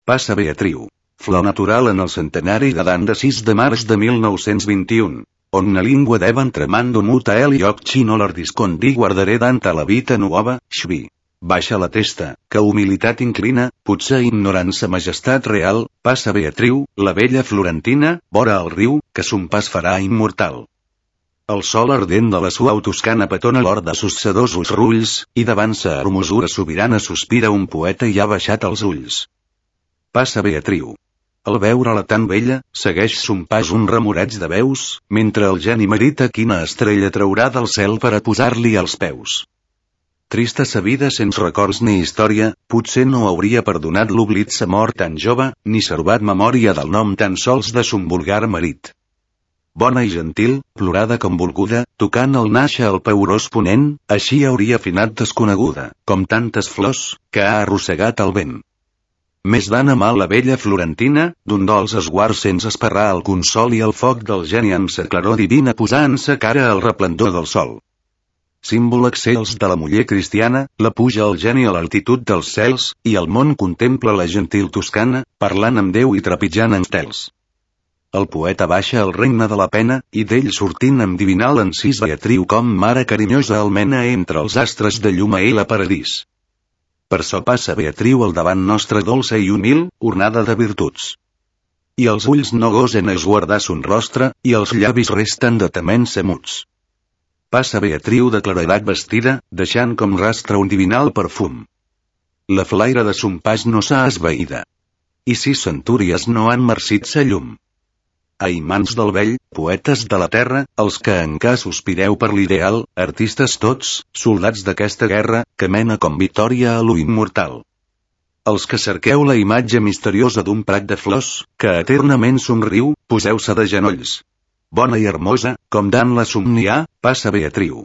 Passa Beatriu. Flor natural en el centenari de Dan de 6 de març de 1921. On na língua devan tremando muta el lloc xino l'ardiscondi guardaré danta la vita nuova, xvi. Baixa la testa, que humilitat inclina, potser ignorant sa majestat real, passa Beatriu, la vella florentina, vora el riu, que son pas farà immortal. El sol ardent de la suau Toscana petona l'or de sos sedosos rulls, i davant sa hermosura sobirana sospira un poeta i ha baixat els ulls. Passa Beatriu. Al veure-la tan bella, segueix son pas un remoreig de veus, mentre el geni merita quina estrella traurà del cel per a posar-li als peus. Trista sa vida sense records ni història, potser no hauria perdonat l'oblit sa mort tan jove, ni servat memòria del nom tan sols de son vulgar marit. Bona i gentil, plorada com volguda, tocant el nàixer al peurós ponent, així hauria finat desconeguda, com tantes flors, que ha arrossegat el vent. Més van amar la vella florentina, d'un dolç esguard sense esperar el consol i el foc del geni amb sa claror divina posant sa cara al resplendor del sol. Símbol excels de la muller cristiana, la puja el geni a l'altitud dels cels, i el món contempla la gentil toscana, parlant amb Déu i trepitjant en estels. El poeta baixa al regne de la pena, i d'ell sortint amb divinal encís Beatriu com mare carinyosa almena entre els astres de llum a ell a paradís. Per so passa Beatriu al davant nostre dolça i humil, ornada de virtuts. I els ulls no gosen esguardar son rostre, i els llavis resten de temença muts. Passa Beatriu de claredat vestida, deixant com rastre un divinal perfum. La flaire de son pas no s'ha esvaïda. I 6 centúries no han marcit sa llum. Ai, mans del vell, poetes de la terra, els que encara sospireu per l'ideal, artistes tots, soldats d'aquesta guerra, que mena com victòria a lo immortal. Els que cerqueu la imatge misteriosa d'un prat de flors, que eternament somriu, poseu-se de genolls. Bona i hermosa, com Dan la somnià, passa Beatriu.